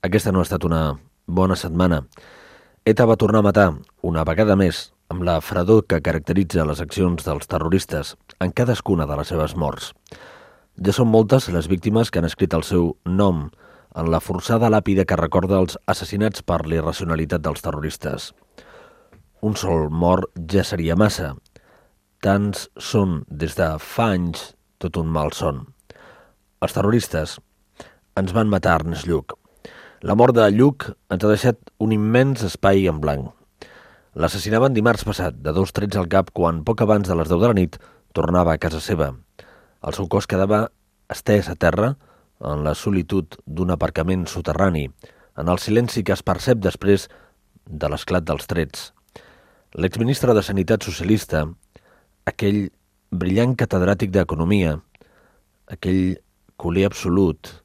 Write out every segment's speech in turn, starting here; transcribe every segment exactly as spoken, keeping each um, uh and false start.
Aquesta no ha estat una bona setmana. ETA va tornar a matar, una vegada més, amb la fredor que caracteritza les accions dels terroristes en cadascuna de les seves morts. Ja són moltes les víctimes que han escrit el seu nom en la forçada làpida que recorda els assassinats per l'irracionalitat dels terroristes. Un sol mort ja seria massa. Tants són des de fa anys tot un malson. Els terroristes ens van matar Ernest Lluch. La mort de Lluch ens ha deixat un immens espai en blanc. L'assassinaven dimarts passat, de dos trets al cap, quan poc abans de les deu de la nit tornava a casa seva. El seu cos quedava estès a terra en la solitud d'un aparcament soterrani, en el silenci que es percep després de l'esclat dels trets. L'exministre de Sanitat socialista, aquell brillant catedràtic d'economia, aquell culer absolut,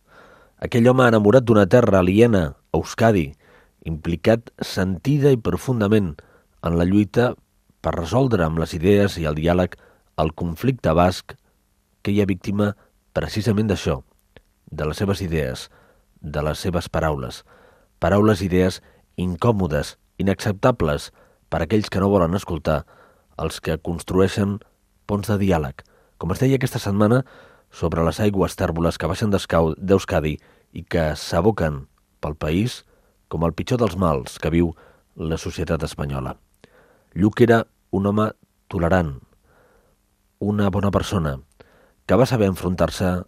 aquell home enamorat d'una terra aliena, Euskadi, implicat sentida i profundament en la lluita per resoldre amb les idees i el diàleg el conflicte basc, que hi ha víctima precisament d'això, de les seves idees, de les seves paraules. Paraules i idees incòmodes, inacceptables per a aquells que no volen escoltar, els que construeixen ponts de diàleg, com es deia aquesta setmana sobre les aigües tèrboles que baixen d'Euskadi i que s'aboquen pel país com el pitjor dels mals que viu la societat espanyola. Lluch era un home tolerant, una bona persona, que va saber enfrontar-se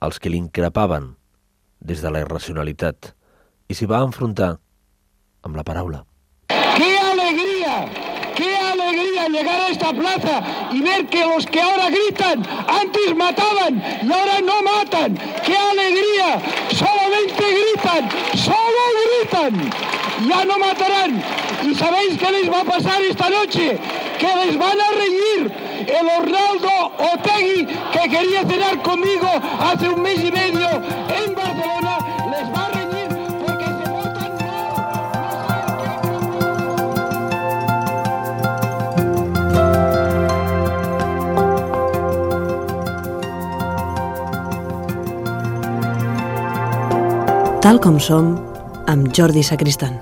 als que l'increpaven des de la irracionalitat i s'hi va enfrontar amb la paraula. ¡Qué alegría! ¡Qué alegría llegar a esta plaza y ver que los que ahora gritan antes mataban y ahora no matan! ¡Qué alegría! Solamente gritan, solo gritan. Ya no matarán. ¿Y sabéis qué les va a pasar esta noche? Que les van a reñir. El Arnaldo Otegi, que quería cenar conmigo hace un mes y medio en Barcelona, les va a reñir porque se votan no. Tal com som, amb Jordi Sacristán.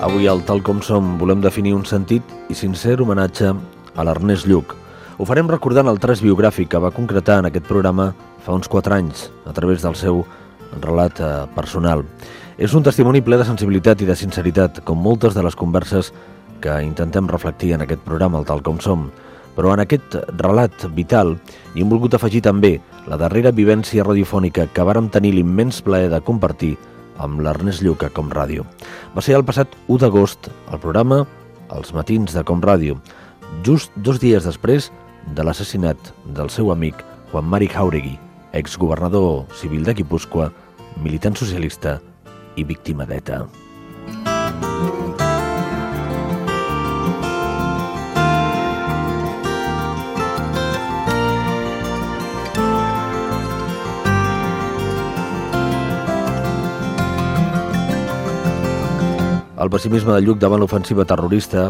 Avui al Tal com som volem definir un sentit i sincer homenatge a l'Ernest Lluch. Ho farem recordant el tras biogràfic que va concretar en aquest programa fa uns quatre anys, a través del seu relat eh, personal. És un testimoni ple de sensibilitat i de sinceritat, com moltes de les converses que intentem reflectir en aquest programa, el Tal com som. Però en aquest relat vital hi hem volgut afegir també la darrera vivència radiofònica que vàrem tenir l'immens plaer de compartir amb l'Ernest Lluch a Com Ràdio. Va ser el passat u d'agost, el programa Els matins de Com Ràdio, just dos dies després de l'assassinat del seu amic Juan Mari Jáuregui, exgovernador civil de Guipúscoa, militant socialista i víctima d'ETA. El pessimisme de Lluch davant l'ofensiva terrorista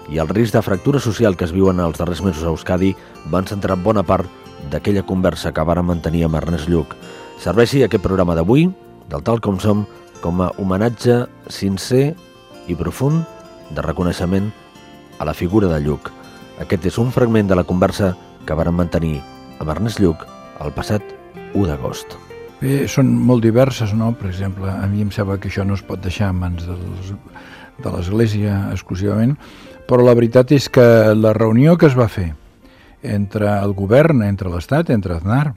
i el risc de fractura social que es viuen els darrers mesos a Euskadi van centrar bona part d'aquella conversa que vàrem mantenir amb Ernest Lluch. Serveixi aquest programa d'avui, del Tal com som, com a homenatge sincer i profund de reconeixement a la figura de Lluch. Aquest és un fragment de la conversa que vàrem mantenir amb Ernest Lluch el passat u d'agost. Bé, són molt diverses, no? Per exemple, a mi em sembla que això no es pot deixar en mans dels, de l'Església exclusivament, però la veritat és que la reunió que es va fer entre el govern, entre l'Estat, entre Aznar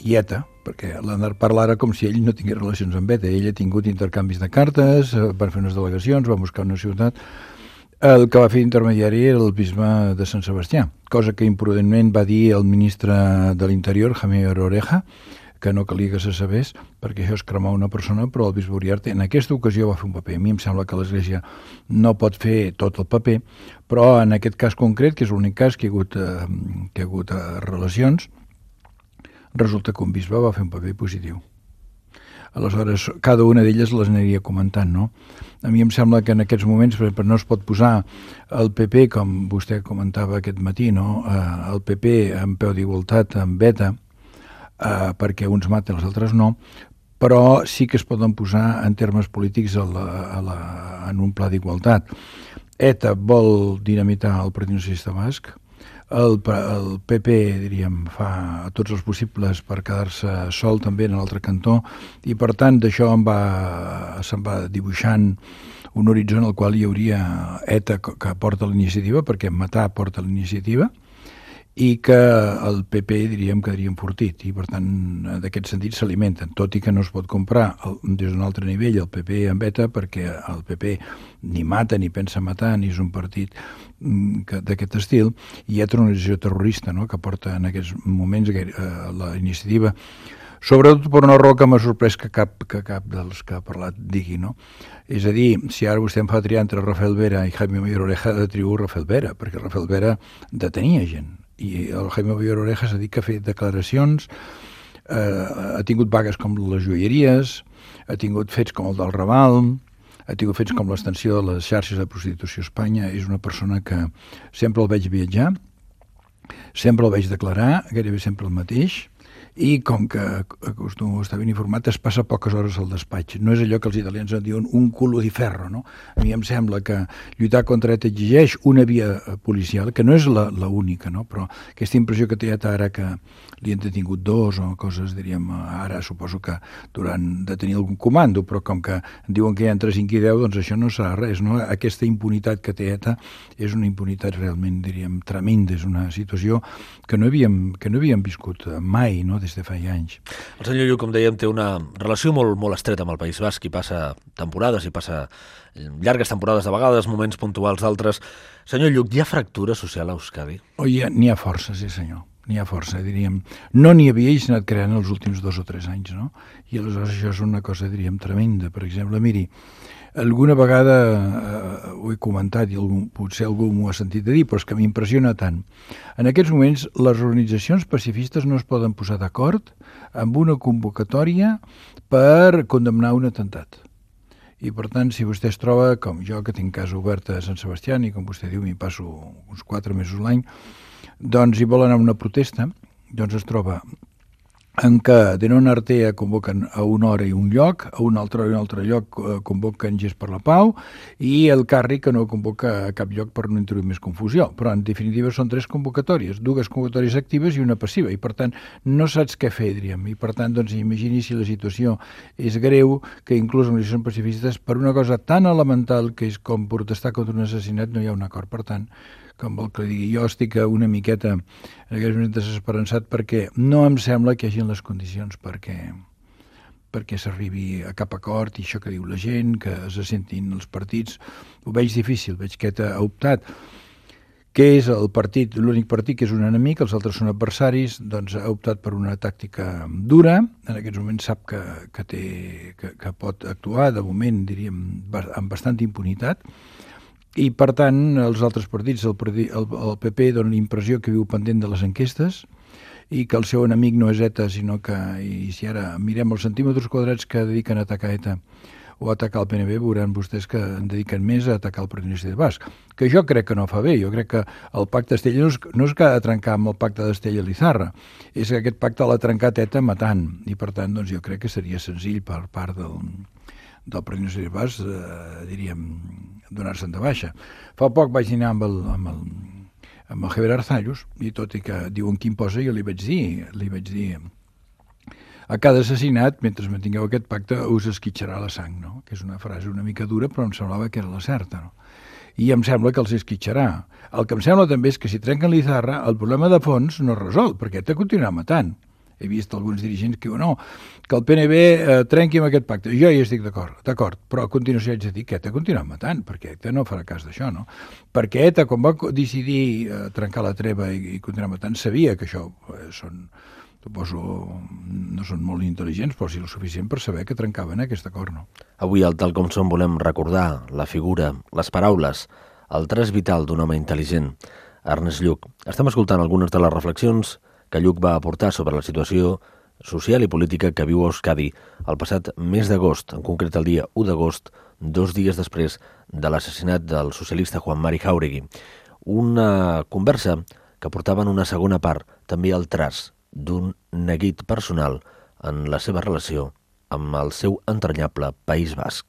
i ETA, perquè l'Aznar parla ara com si ell no tingués relacions amb ETA, ell ha tingut intercanvis de cartes, van fer unes delegacions, van buscar una ciutat, el que va fer intermediari era el bisbe de Sant Sebastià, cosa que imprudentment va dir el ministre de l'Interior, Javier Oreja, que no calia que se sabés, perquè això és cremar una persona, però el bisbe Uriarte en aquesta ocasió va fer un paper. A mi em sembla que l'Església no pot fer tot el paper, però en aquest cas concret, que és l'únic cas que hi ha hagut, eh, que hi ha hagut eh, relacions, resulta que un bisbe va fer un paper positiu. Aleshores, cada una d'elles les aniria comentant, no? A mi em sembla que en aquests moments, per no es pot posar el P P, com vostè comentava aquest matí, no? Eh, el P P en peu d'igualtat amb ETA, Uh, perquè uns maten, els altres no, però sí que es poden posar en termes polítics a la, a la, en un pla d'igualtat. ETA vol dinamitar el Partit Socialista Basc, el, el P P, diríem, fa tots els possibles per quedar-se sol també en l'altre cantó, i per tant d'això en va, se'n va dibuixant un horitzó en el qual hi hauria ETA que porta l'iniciativa, perquè matar porta l'iniciativa, i que el P P, diríem, quedaria enfortit, i per tant, d'aquest sentit s'alimenten, tot i que no es pot comprar el, des d'un altre nivell el P P amb ETA, perquè el P P ni mata, ni pensa matar, ni és un partit d'aquest estil, i hi ha una organització terrorista, no?, que porta en aquests moments eh, la iniciativa, sobretot per una raó que m'ha sorprès que cap, que cap dels que ha parlat digui, no? És a dir, si ara vostè em fa triar entre Rafael Vera i Jaime Mayor Oreja, ha de triar Rafael Vera, perquè Rafael Vera detenia gent, i el Jaime Mayor Oreja s'ha dit que ha fet declaracions, eh, ha tingut vagues com les joieries, ha tingut fets com el del Raval, ha tingut fets com l'extensió de les xarxes de prostitució a Espanya. És una persona que sempre el veig viatjar, sempre el veig declarar, gairebé sempre el mateix, i com que acostumo a estar ben informat, es passa poques hores al despatx. No és allò que els italians en diuen un culo di ferro, no? A mi em sembla que lluitar contra ETA exigeix una via policial, que no és la, la única, no? Però aquesta impressió que té ETA ara que li han detingut dos o coses, diríem, ara suposo que durant de tenir algun comando, però com que diuen que hi ha entre cinc i deu, doncs això no serà res, no? Aquesta impunitat que té ETA és una impunitat realment, diríem, tremenda, és una situació que no havíem, que no havíem viscut mai, no?, des de fa anys. El senyor Lluc, com dèiem, té una relació molt, molt estreta amb el País Basc, i passa temporades, i passa llargues temporades de vegades, moments puntuals d'altres. Senyor Lluc, hi ha fractura social a Euskadi? Oh, hi ha, n'hi ha força, sí senyor, n'hi ha força, diríem. No n'hi havia i s'ha anat creant els últims dos o tres anys, no? I aleshores això és una cosa, diríem, tremenda. Per exemple, miri, alguna vegada eh, ho he comentat i algun, potser algú m'ho ha sentit a dir, però és que m'impressiona tant. En aquests moments les organitzacions pacifistes no es poden posar d'acord amb una convocatòria per condemnar un atemptat. I per tant, si vostè es troba, com jo, que tinc casa oberta a Sant Sebastià, i com vostè diu, m'hi passo uns quatre mesos l'any, doncs hi vol anar a una protesta, doncs es troba en què de non Artea convoquen a una hora i un lloc, a un altre, un altre lloc convoquen Gest per la Pau, i el Carri que no convoca a cap lloc per no introduir més confusió. Però en definitiva són tres convocatòries, dues convocatòries actives i una passiva, i per tant no saps què fer, diríem, i per tant doncs imagini si la situació és greu, que inclús en les organitzacions pacifistes per una cosa tan elemental que és com protestar contra un assassinat no hi ha un acord. Per tant, com vol que digui, jo estic una miqueta en aquests moments desesperançat perquè no em sembla que hi hagi les condicions perquè, perquè s'arribi a cap acord, i això que diu la gent, que se sentin els partits, ho veig difícil. Veig que ha optat, que és el partit, l'únic partit que és un enemic, els altres són adversaris, doncs ha optat per una tàctica dura, en aquests moments sap que, que, té, que, que pot actuar, de moment, diríem, amb bastanta impunitat, i per tant els altres partits, el, el, el P P dona l'impressió que viu pendent de les enquestes i que el seu enemic no és ETA, sinó que, i si ara mirem els centímetres quadrats que dediquen a atacar ETA o a atacar el P N B, veuran vostès que en dediquen més a atacar el Partit Socialista Basc, que jo crec que no fa bé. Jo crec que el pacte d'Estella no és, no és que ha de trencar amb el pacte d'Estella-Lizarra, és que aquest pacte l'ha trencat ETA matant, i per tant doncs, jo crec que seria senzill per part del, del Partit Socialista Basc, eh, diríem, donar-se'n de baixa. Fa poc vaig dinar amb el, amb el, amb el Javier Arzallus, i tot i que diuen quin posa, jo li vaig dir, li vaig dir, a cada assassinat, mentre mantingueu aquest pacte, us esquitxarà la sang, no? Que és una frase una mica dura, però em semblava que era la certa, no? I em sembla que els esquitxarà. El que em sembla també és que si trenquen l'Izarra, el problema de fons no es resol, perquè te continuarà matant. He vist alguns dirigents que diuen no, que el P N B eh, trenqui amb aquest pacte. Jo hi estic d'acord, d'acord, però a continuació haig de dir que ETA continuarà matant, perquè ETA no farà cas d'això, no? Perquè ETA, quan va decidir eh, trencar la treva i, i continuar matant, sabia que això eh, són, suposo, no són molt intel·ligents, però sí el suficient per saber que trencaven aquest acord, no? Avui al Tal Com Som volem recordar la figura, les paraules, el tres vital d'un home intel·ligent, Ernest Lluch. Estem escoltant algunes de les reflexions que Lluch va aportar sobre la situació social i política que viu Euskadi el passat mes d'agost, en concret el dia u d'agost, dos dies després de l'assassinat del socialista Juan Mari Jáuregui. Una conversa que portava en una segona part també el traç d'un neguit personal en la seva relació amb el seu entranyable País Basc.